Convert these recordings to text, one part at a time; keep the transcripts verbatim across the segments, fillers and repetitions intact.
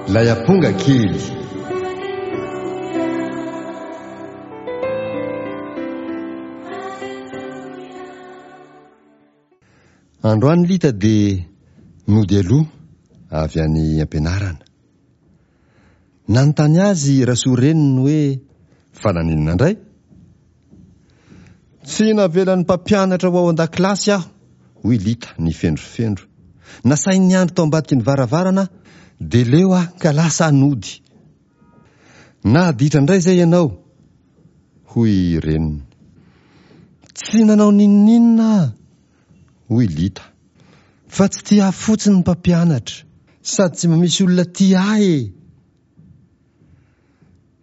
Ilay amponga kely. Androany Lita dia nody aloha avy any am-pianarana. Nanontany azy Rasoa reniny hoe fa naninona indray? Tsy navelan'ny mpampianatra ho ao an-dakilasy aho, hoy Lita nifendrofendro. Nasainy niandry tao ambadiky ny varavarana aho, dia leo aho ka lasa aho nody. Naditra indray izay ianao, hoy reniny. Tsy nanao n'inon'inona aho, hoy Lita, fa tsy tia ahy fotsiny ny mpampianatra, sady tsy mba misy olona tia ahy e!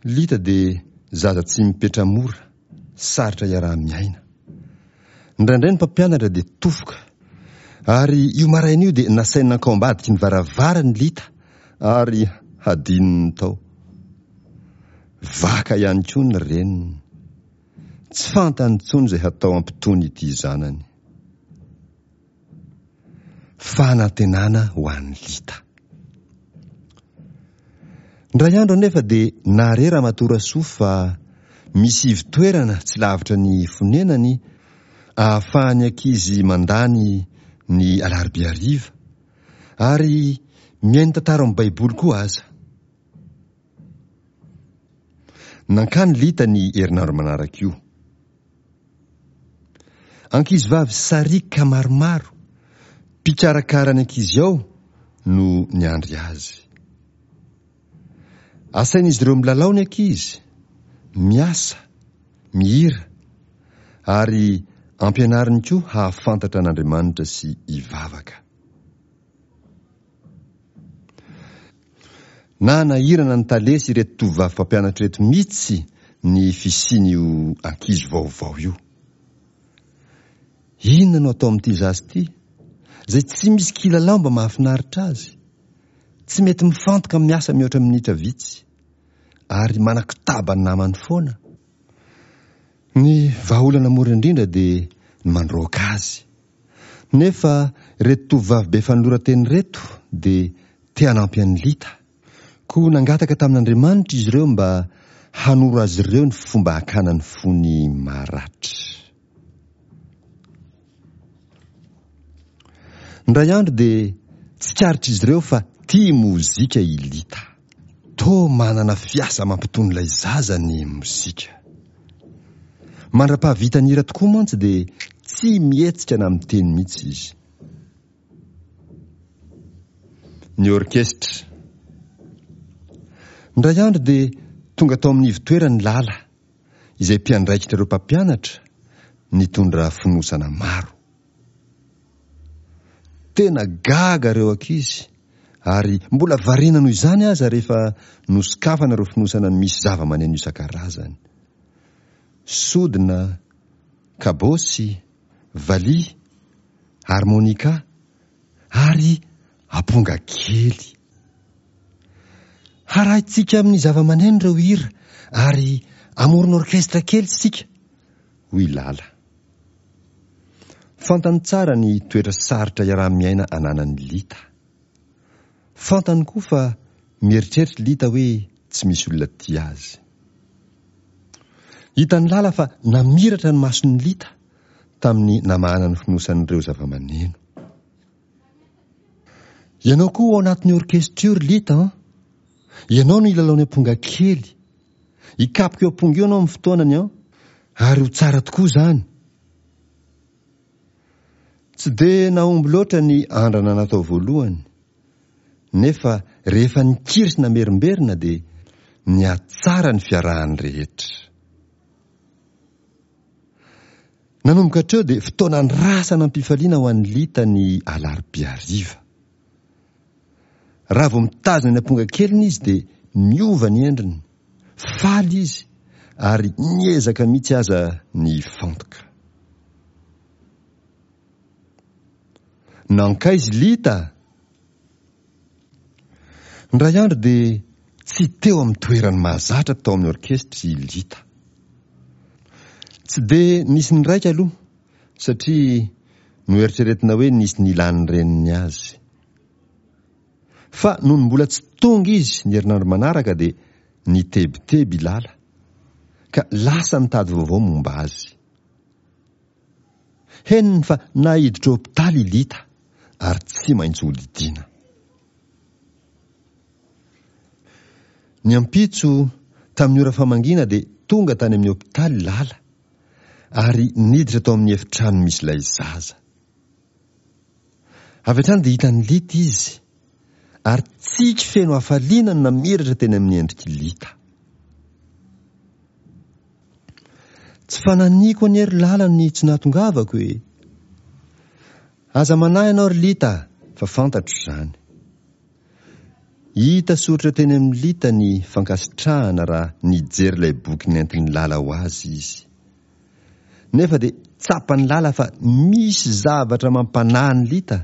Lita dia zaza tsy mipetra-mora, sarotra iaraha-miaina. Indraindray ny mpampianatra dia tofoka. Ary io maraina io dia nasainy nankao ambadiky ny varavarana i Lita ary hadinony tao. Vaka ihany koa ny reniny. Tsy fantany intsony izay hatao hampitony ity zanany. Fanantenana ho an'i Lita. Indray andro anefa dia nahare Ramatoa Rasoa fa misy ivon-toerana tsy lavitra ny fonenany ahafahan'ny ankizy mandany ny alarobia hariva ary mihaino tantara ao amin'ny Baiboly koa aza. Nankany Lita ny herinandro manaraka io. Ankizivavy sariaka maromaro, mpikarakara ny ankizy ao no niandry azy. Asain'izy ireo milalao ny ankizy, miasa, mihira, ary ampianariny koa hahafantatra an'Andriamanitra sy hivavaka. Nanahirana ny tale sy ireto tovovavy mpampianatra ireto mihitsy ny fisian'io ankizy vaovao io. Inona no atao amin'ity zaza ity, izay tsy misy kilalao mba mahafinaritra azy, tsy mety mifantoka amin'ny asa mihoatra minitra vitsy, ary manakotaba ny namany foana? Ny vahaolana mora indrindra dia ny mandroaka azy. Nefa ireto tovovavy be fanoloran-tena ireto dia te hanampy an'i Lita. Koa nangataka tamin'Andriamanitra izy ireo mba hanoro azy ireo ny fomba hakana ny fony maratra. Indray andro dia tsikaritr'izy ireo fa tia mozika i Lita. Toa manana fiasa mampitony ilay zaza ny mozika. Mandra-pahavita ny hira tokoa mantsy dia tsy mihetsika na miteny mihitsy izy. Ny orkesitra. Indray andro dia tonga tao amin'ny ivon-toerany Lala, izay mpiandraikitra ireo mpampianatra, nitondra fonosana maro. Tena gaga ireo ankizy ary mbola variana noho izany aza rehefa nosokafana ireo fonosana misy zava-maneno isan-karazany. Sodina, kabôsy, valiha, harmonica ary amponga kely. Harahintsika amin'ny zava-maneno ireo hira ary hamorona orkestra kely isika, hoy Lala. Fantany tsara ny toetra sarotra iaraha-miaina ananan'i Lita. Fantany koa fa mieritreritra i Lita hoe tsy misy olona tia azy. Hitan'i Lala fa namiratra ny mason'i Lita tamin'ny namahana ny fonosan'ireo zava-maneno. Ianao koa ao anatin'ny orkesitra io ry Lita an! Ianao no hilalao ny amponga kely. Hikapoka io amponga io ianao amin'ny fotoanany an! Ary ho tsara tokoa izany. Tsy dia nahomby loatra ny andrana natao voalohany, nefa rehefa nikiry sy namerimberina dia nihatsara ny fiarahan'ny rehetra. Nanomboka hatreo dia fotoana andrasana am-pifaliana ho an'i Lita ny alarobia hariva. Raha vao mitazona ny amponga keliny izy dia miova ny endriny, faly izy ary miezaka mihitsy aza ny hifantoka. Nankaiza i Lita? Indray andro dia tsy teo amin'ny toerany mahazatra tao amin'ny orkesitra i Lita. Tsy dia nisy niraika aloha satria noeritreretina hoe nisy nilan'ny reniny azy. Fa nony mbola tsy tonga izy ny herinandro manaraka dia nitebiteby i Lala, ka lasa nitady vaovao momba azy. Henony fa naiditra hopitaly i Lita ary tsy maintsy hodidiana. Ny ampitso, tamin'ny ora famangiana dia tonga tany amin'ny hopitaly i Lala ary niditra tao amin'ny efitrano misy ilay zaza. Avy hatrany dia hitan'i Lita izy ary tsiky feno hafaliana no namiratra teny amin'ny endrik'i Lita. Tsy fananiko anie ry Lala ny tsy nahatongavako e! Aza manahy ianao ry Lita fa fantatro izany. Hita soritra teny amin'i Lita ny fankasitrahana raha nijery ilay boky nentin'i Lala ho azy izy. Nefa dia tsapan'i Lala fa misy zavatra mampanahy an'i Lita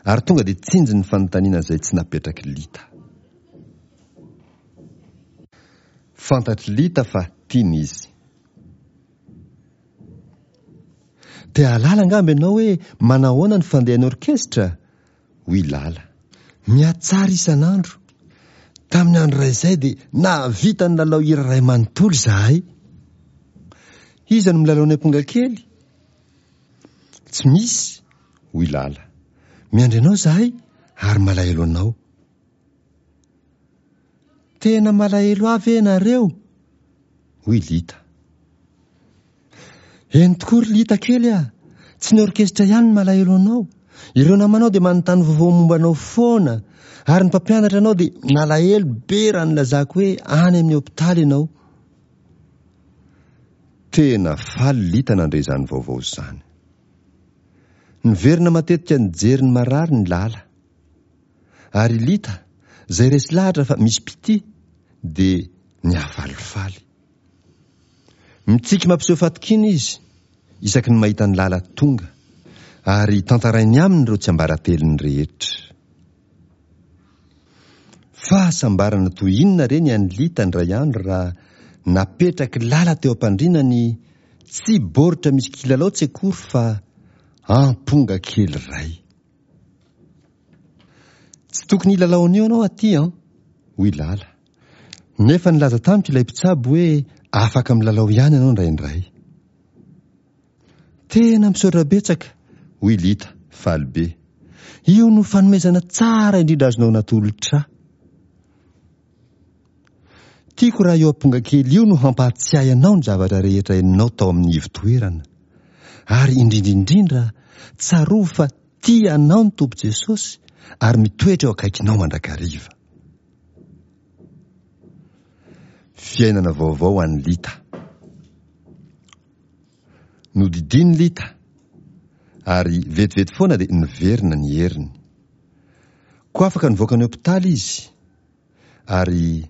ary tonga dia tsinjony ny fanontaniana izay tsy napetrak'i Lita. Fantatr'i Lita fa tiany izy. Te hahalala angamba ianao hoe manahoana ny fandehan'ny orkesitra? Hoy Lala. Mihatsara isan'andro. Tamin'ny andro iray izay dia nahavita nilalao hira iray manontolo izahay. Iza no milalao ny amponga kely? Tsy misy, hoy Lala. Miandry anao izahay ary malahelo anao. Tena malahelo ahy ve ianareo? Hoy Lita. Eny tokoa ry Lita kely a! Tsy ny orkesitra ihany no malahelo anao. Ireo namanao dia manontany vaovao momba anao foana, ary ny mpampianatra anao dia nalahelo be raha nilazako hoe any amin'ny hopitaly ianao. Tena faly Lita nandre izany vaovao izany. Niverina matetika nijery ny marary ny Lala. Ary i Lita, izay resy lahatra fa misy mpitia, dia nihafalifaly. Mitsiky mampiseho fatokiana izy isaky ny mahita an'i Lala tonga, ary tantarainy aminy ireo tsiambaratelony rehetra. Fahasambarana toy inona re ny an'i Lita indray andro raha napetrak'i Lala teo am-pandriana ny tsy baoritra misy kilalao tsy akory fa amponga kely iray. Tsy tokony hilalao an'io ianao aty an! hoy Lala. Nefa nilaza tamiko ilay mpitsabo hoe afaka milalao ihany ianao indraindray. Tena misaotra betsaka, hoy Lita, faly be. Io no fanomezana tsara indrindra azonao natolotra ahy. Tiako raha io amponga kely io no hampahatsiahy anao ny zavatra rehetra henonao tao amin'ny ivo-toerana. Ary indrindra indrindra, tsarovy fa tia anao ny Tompo Jesosy ary mitoetra eo akaikinao mandrakariva. Fiainana vaovao ho an'i Lita. Nodidian'i Lita, ary vetivety foana dia niverina ny heriny. Koa afaka nivoaka ny hopitaly izy, ary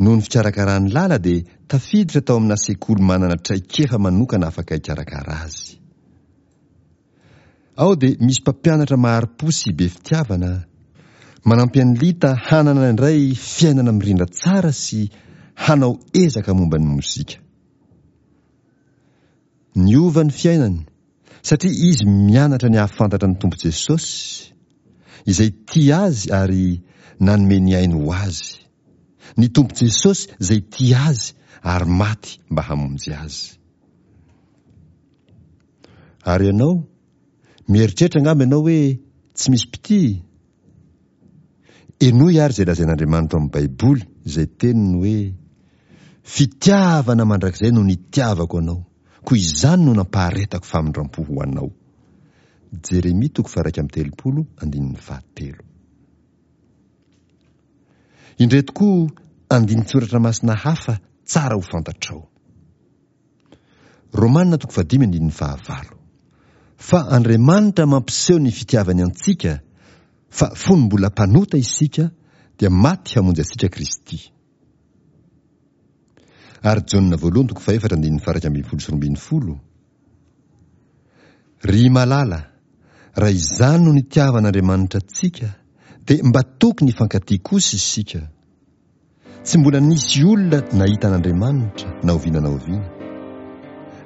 noho ny fikarakaran'i Lala dia tafiditra tao amina sekoly manana traikefa manokana afaka hikarakara azy. Ao dia misy mpampianatra mahari-po sy be fitiavana, manampy an'i Lita hanana indray fiainana mirindra tsara sy hanao ezaka momba ny mozika. Niova ny fiainany satria izy mianatra ny hahafantatra ny Tompo Jesosy, izay tia azy ary nanome ny ainy ho azy. Ny Tompo Jesosy izay tia azy ary maty mba hamonjy azy. Ary ianao? Mieritreritra angamba ianao hoe tsy misy mpitia? Henoy àry izay lazain'Andriamanitra ao amin'ny Baiboly, izay teniny hoe, Fitiavana mandrakizay no nitiavako anao, koa izany no nampaharetako famindram-po ho anao. Jeremia toko faha-iraika amby telopolo andininy fahatelo. Indreto koa andinin-tsoratra masina hafa tsara ho fantatrao. Romana toko fahadimy andininy fahavalo. Fa Andriamanitra mampiseho ny fitiavany antsika fa fony mbola mpanota isika dia maty hamonjy antsika Kristy. Ary Jaona voalohany toko fahefatra andininy faha-iraika ambin'ny folo sy roa ambin'ny folo. Ry malala, raha izany no nitiavan'Andriamanitra antsika dia mba tokony hifankatia kosa isika. Tsy mbola nisy olona nahita an'Andriamanitra na oviana na oviana.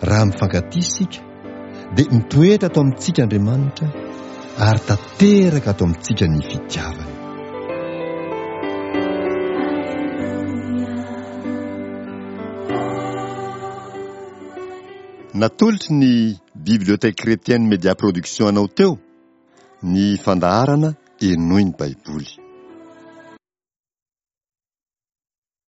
Raha mifankatia isika, dia mitoetra ato amintsika Andriamanitra ary tanteraka ato amintsika ny fitiavany. Natolotry ny Bibliothèque Chrétienne Média Production anao teo ny fandaharana Henoy ny Baiboly.